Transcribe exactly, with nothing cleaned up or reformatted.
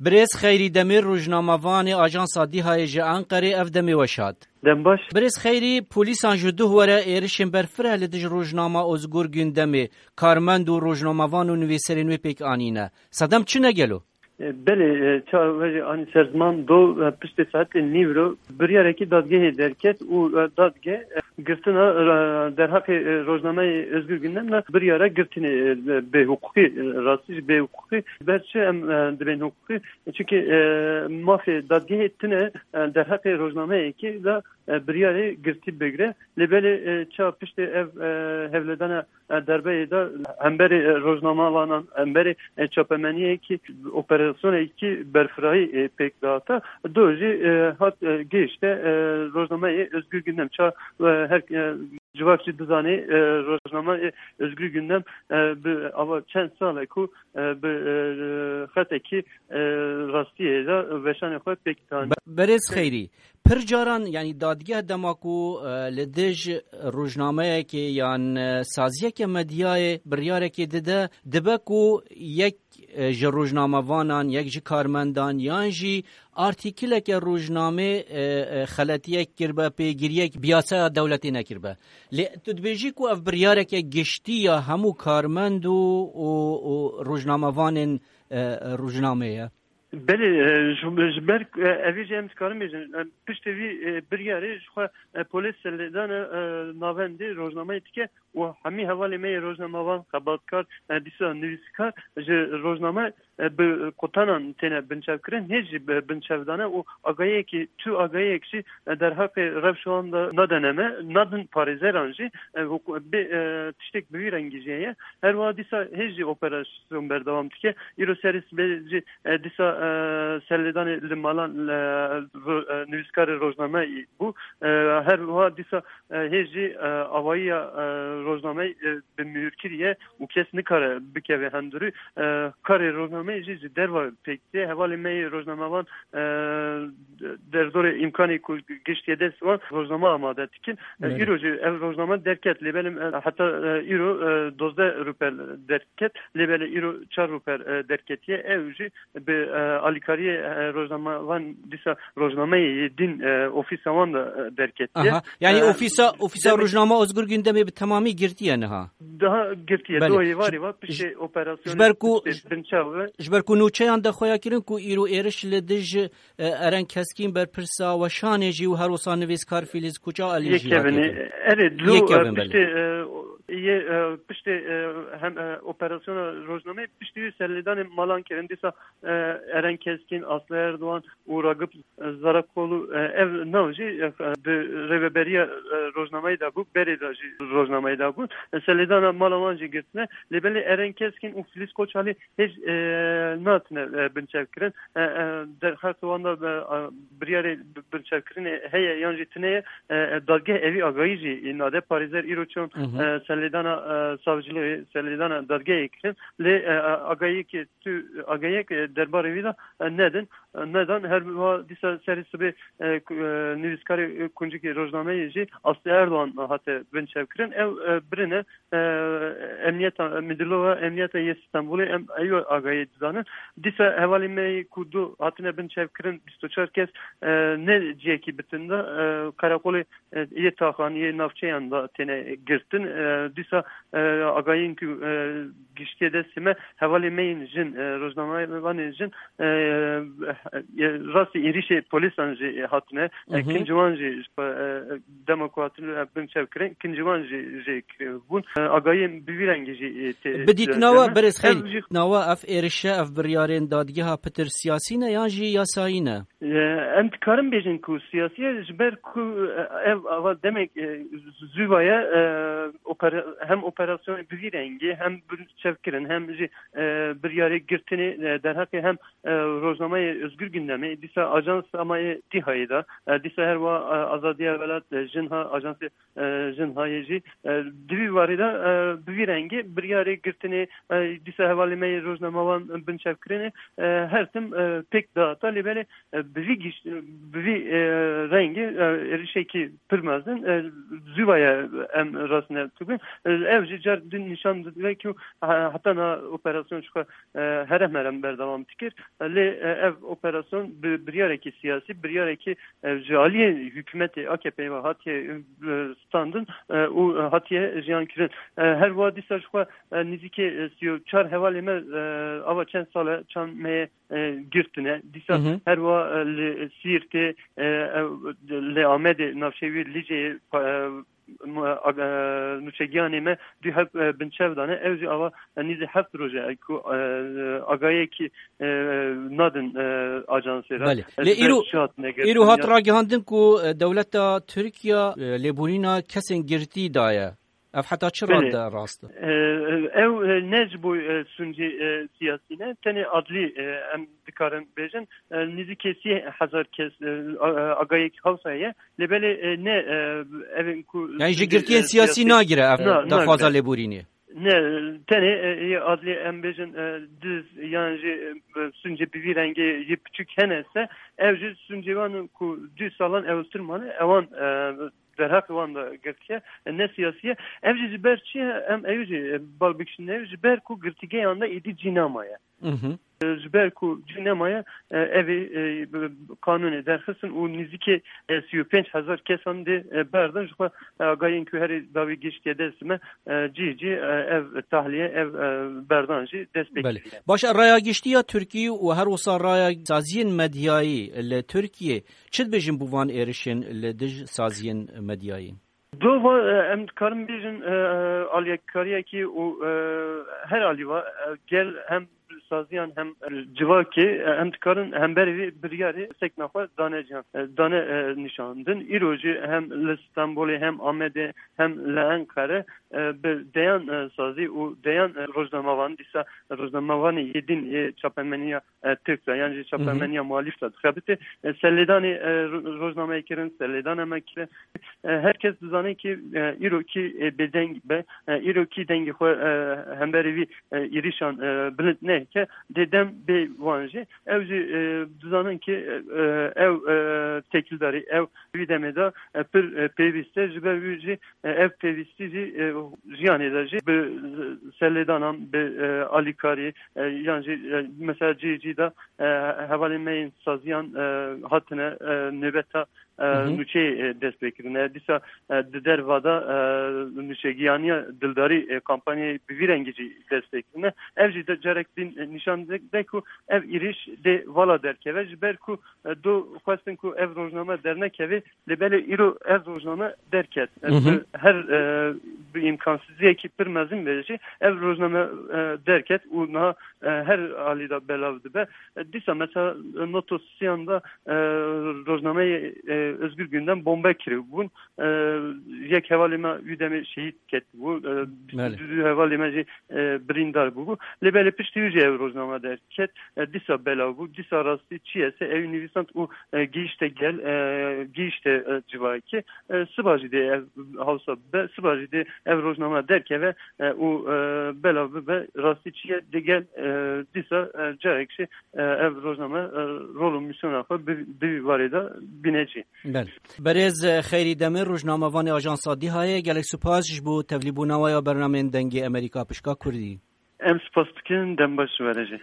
Birêz Xeyrî Demir, rojnamevanê Ajansa Dîhayê ji Enqerê, ev demê we şad. Dem baş. Birêz Xeyrî, polîsan ji duh were êrişên berfireh li dij rojnama Ozgur Gündemê, karmend û rojnamevan û nivîserên wê pêk anîne. Sedem çi ne gelo? E, belê, e, çawa wê jî anî ser ziman do, e, piştê saetê nîvro biryarekî dadgehê derket û, e, dadgeh, e, girtina, e, derheqê, e, rojnameyê Özgür Gündem de biryara girtinê, e, bêhiqûqî, e, rastî jî bêhiqûqî. Ber çi em, e, dibên hiqûqî? Çimkî, e, mafê dadgehê tune, e, derheqê rojnameyekê de, e, biryarê girtî bigre. Lê belê, e, ça piştê ev, e, hevledana, e, derbeyê de hemberê, e, rojnamevanan, hemberê, e, çapemeniyekî, operasyonekî berfirahî, e, pêk dihata. Do jî, e, hat, e, gihişte, e, rojnameyê Özgür Gündem. Ça, e, her, e, civak jî dizanê, e, rojnameyê Özgür Gündem, e, bi ava çend sal e ku, e, bi, e, xetekî, e, rastiyê de weşanê xwe pêk dihane. Be-, Berêz Xeyrî, pir caran, yanî dadgeh dema ku, e, li dij rojnameyekê yan, e, saziyeke medyayê biryarekê dide, dibe ku yek, e, ji rojnamevanan, yek ji karmendan yan jî artîkileke rojnamê, e, e, xeletiyek kirbe, pêgiriyek bi yasaya dewletê nekirbe. Lê tu dibêjî ku ev biryareke giştî ya hemû karmend û, û, û rojnamevanên, e, rojnamê ye? Belê, e, ji, ji ber, e, evî jî em dikarin bêjin, e, piştê vî, e, biryarê ji xwe, e, polês serlêdana, e, navendê rojnameyê dike û hemî hevalê me yê rojnamevan, xebatkar, e, dîsa nivîskar ji rojname, e, bi qutanan têne binçavkirin, hê jî bi binçavdane û agahiyekî, tu agahiyek jî, e, derheqê rewşa wan de nadene me, nadin parêzeran jî, e, hukû-, bê, e, tiştek bi vî rengî jî heye. Her wiha dîsa hê jî operasyon berdewam dike. Îro serê sibê jî, e, dîsa, e, serlêdanê li malan, e, ro-, e, nivîskarê rojname bû. E, her wiha dîsa, e, hê jî, e, avayiya, e, rojnameyê, e, bi mihûrkirî ye û kes nikare bikeve hundirî. E, karê rojnameyê jî ji derve pêk tê. Hevalê me yê rojnamevan, e, derdorê îmkanê ku giştiye dest wan rojname amade dikin. E, Belê. Îro jî ev rojname derket. Lê belê, e, heta, e, îro, e, dozdeh rûpel derket. Lê belê îro çar rûpel, e, derketiye. Ew jî bi, e, alîkariyê, e, rojnamevan dîsa rojnameyê din, e, ofîsa wan de, e, derketiye. Aha. Yani E, ofîsa, ofîsa demê- rojnama Özgür Gündemê bi temamî girtiye niha? Daha girtiye. Belê. Do êvarê va piştê operasyonê, Ji ber ku, piştê binçav ve. Ji ber ku nûçeyan de xweya kirin ku îro êriş li dij, e, Eren Keskîn, berpirsa weşanê jî û her wisa nivîskar Fîlîz Kuçalî jî hatiye kirin. Erê, dilo, Yekevin, e, belê. Piştê, e, yê, e, piştê, e, hem, e, operasyona rojnameyê piştî wî serlêdanê malan kirin. Dîsa, e, Eren Keskîn, Aslı Erdoğan û Ragıp Zarakolu, e, ev nav jî, e, di rêveberiya, e, rojnameyê de bû, berê de jî rojnameyê de bû. E, serlêdana mala wan jî girtine. Lê belê Eren Keskîn û Filiz Koçalî hêj, e, natine, e, binçavkirin. E, e, derxet wan de, e, e, biryarê bi-, binçavkirinê heye yan jî tine ye. E, e, dadgeh evî agahî jî nade. Parêzer îro çûn, Hı hı. e, serlêdana, e, savciliyê, serlêdana dadgehê kirin. Lê, e, e, agahiyekê tu, agahiyek, e, derbarê wî de, e, nedin. E, nedan. Her wiha dîsa serê sibê, e, ku-, e, nivîskarê, e, kuncikê rojnameyê jî Aslı Erdoğan hate binçavkirin. Ew, e, birine, e, emniyeta, e, Müdürlüğü Emniyeta yê Stenbolê em eyo agahiyê dizanin. Dîsa hevalê me yê ku du hatine binçavkirin, bîst û çar kes, e, ne ciyekî bitin de, e, karakolê, e, yê taxan, yê navçeyan de têne girtin. E, dîsa, e, agahiyên ku, e, giştiye destê me, hevalê me yên jin, e, rojnamevanên jin, e, e, rastî êrîşê polîsan jî hatine. E, Mhm. Kincî wan jî ji xwe, e, dema ku hatine, e, binçavkirin, kincî wan jî jê kiribûn. E, agahiyên bi vî rengî jî, e, tê, Bidît e, nawa deme. Berêz Xeyrî, Ev jî nawa ev êrişe, ev biryarên dadgeha pitir siyasî ne yan jî yasayî ne? E, em dikarin bêjin ku siyasî ye, ji ber ku, e, ev ava demek, e, zûva ye, e, opera-, hem operasyonê bi vî rengî, hem binçavkirin, hem jî, e, biryarê girtinê, e, derheqê hem, e, rojnameyê Özgür Gündemê, dîsa Ajansa me yê Dîhayê de, e, dîsa her wa, e, Azadiya Welat, e, Jinha, Ajansê, e, Jinhayê jî, e, di vî warî de, e, bi vî rengî biryarê girtinê, e, dîsa hevalê me yê rojnamevan binçavkirinê, e, her tim, e, pêk dihata. Lê belê, e, bi vî giş-, bi vî, e, rengî, e, êrişekî pir mezin, e, zûva ye em rastine dibin. E, ev jî car din nîşan dide ku, e, heta niha operasyon ji xwe, e, herem herem berdewam dikir. E, lê, e, ev operasyon bi biryarekî siyasî, biryarekî, e, ji aliyê hikûmetê A K P'ê ve hatiye, e, standin, e, û hatiye jiyan kirin. E, her wiha dîsa ji xwe, e, nîzîkê, e, sî û çar hevalê me, e, ava çend sal e, çend meh e, e, girtine. Dîsa Hı hı. her wiha, e, li Sîrtê, e, e, li Amedê, navçeyê wî Liceyê, e, mu-, e, nûçegiyanê me dû heb, e, binçev dane. Ew jî ava, e, nîzî heft roj e ku, e, agahiyekî, e, nadin, e, ajansê re. Belê. E, Lê ji ber îro, çi hatine îro hat ragihandin ku, e, dewleta Tirkiye, e, lêborîna kesên girtî daye. Ev heta çi Belê. rad rast e? E, ew, e, ne ji bo, e, sûncê, e, siyasî ne, tenê adlî, e, em dikarin bêjin, e, nîzîkê sî hezar kes, e, a-, e, agahiyek hewsa ye. Lê belê, e, ne, e, evên ku Yani ji sûncê, girtiyên e, siyasî siyasî nagire ev Na, daxwaza nagire. lêborînê. Ne, tenê, e, yê adlî em bêjin, e, diz yan jî, e, sûncê bi vî rengê yê piçûk hene se, ev jî sûncê wan ku du salan ewiltir mane, ewan, e, derheqê wan de girtiye, e, ne siyasî ye. Ev jî ji ber çi ye? Em ew jî, e, bal bikişînin, ew ji ber ku girtîgehan de êdî cî nemaye. Hı hı. E, ji ber ku cî nemaye, e, ev ê, e, bi, bi qanûnê derxistin û nîzîkê, e, sî û pênc hezar kesan dê, e, berdin. Ji xwe, e, agahiyên ku herî dawî giştiye dest me, e, cî cî, e, ev tahliye, ev, e, berdan jî dest pê Belê. kiriye. Baş e, raya giştî ya Tirkî û her wisa raya saziyên medyayî li Tirkiyê çi dibêjin bo van êrişên li dij saziyên medyayî? Dova, e, em dikarin bêjin, e, e, aliyekkariyekî û, e, her alî va, e, gel hem saziyan hem, e, civakê, e, em dikarin hemberî vê biryarê sekna xwe dane cihan, e, dane, e, nîşandin. Îro jî hem li Stenbolê hem Amedê hem li Enqere, e, bi deyan, e, sazî û deyan, e, rojnamevan, dîsa rojnamevanê yê din ê çapemeniya e, Tirk de, yan jî Hı hı. çapemeniya muhalîf de dixebite. E, serlêdanê, e, ro-, rojnameyê kirin, serlêdana me kirin. E, her kes dizane ki, e, îro kî, e, bêdeng be, e, îro kî dengê xwe, e, hemberî vî, e, êrîşan, e, bilind neheke, dê dem bê wan jî. Ew jî, e, dizanin ki, e, ew, e, têkildarî, ew wî demê de, e, pir, e, pêwîst e, ji ber wî jî, e, ev pêwîstî jî, e, jiyanê de jî bi, e, serlêdanan, bi, e, alîkarî, e, yan jî, e, mesela cihê cî de, e, hevalên me yên saziyan, e, hatine, e, nêbeta, e, Hı hı. nûçeyê, e, dest pê kirine. Dîsa, e, di derva de, e, nûçegiyaniya dildarî, e, kampanyayê bi vî rengî jî dest pê kirine. Ev jî de carek din, e, nîşan de, de ku ev êrîş dê vala derkeve, ji ber ku, e, do xwestin ku ev rojname dernekeve, lê belê îro ev rojname derket. E, Hı hı. bi her, e, bi îmkansiziyekî pir mezin be jî ev rojname, e, derket û niha, e, her alî de belav dibe. E, dîsa mesela, e, Noto Siyan de, e, rojnameyê, e, Özgür Gündem bombe kiribûn. E, yek hevalê me wî demê şehîd ketibû. E, Belê. bîst û du hevalê me jî, e, birîndar bûbû. Lê belê piştî wî jî ev rojname derket. E, dîsa belav bû. Dîsa rastî çi ye se ew nivîsand û, e, gihîşte gel, e, gihîşte, e, civakê. E, siba jî dê ev hewsa be, siba jî dê ev rojname derkeve, e, û, e, belav bibe. Rastî çi ye digel, e, dîsa, e, carek jî, e, ev rojname, e, rol û mîsyona xwe bi, bi vî barê de bîne cî. Belê. Berêz Xeyrî Demir, rojnamevanê Ajansa Dîhayê, gelek spas ji bo tevlîbûna we ya bernameyên Dengê Amerîka pişka Kurdî. Em spas dikin, dem baş ji we re jî.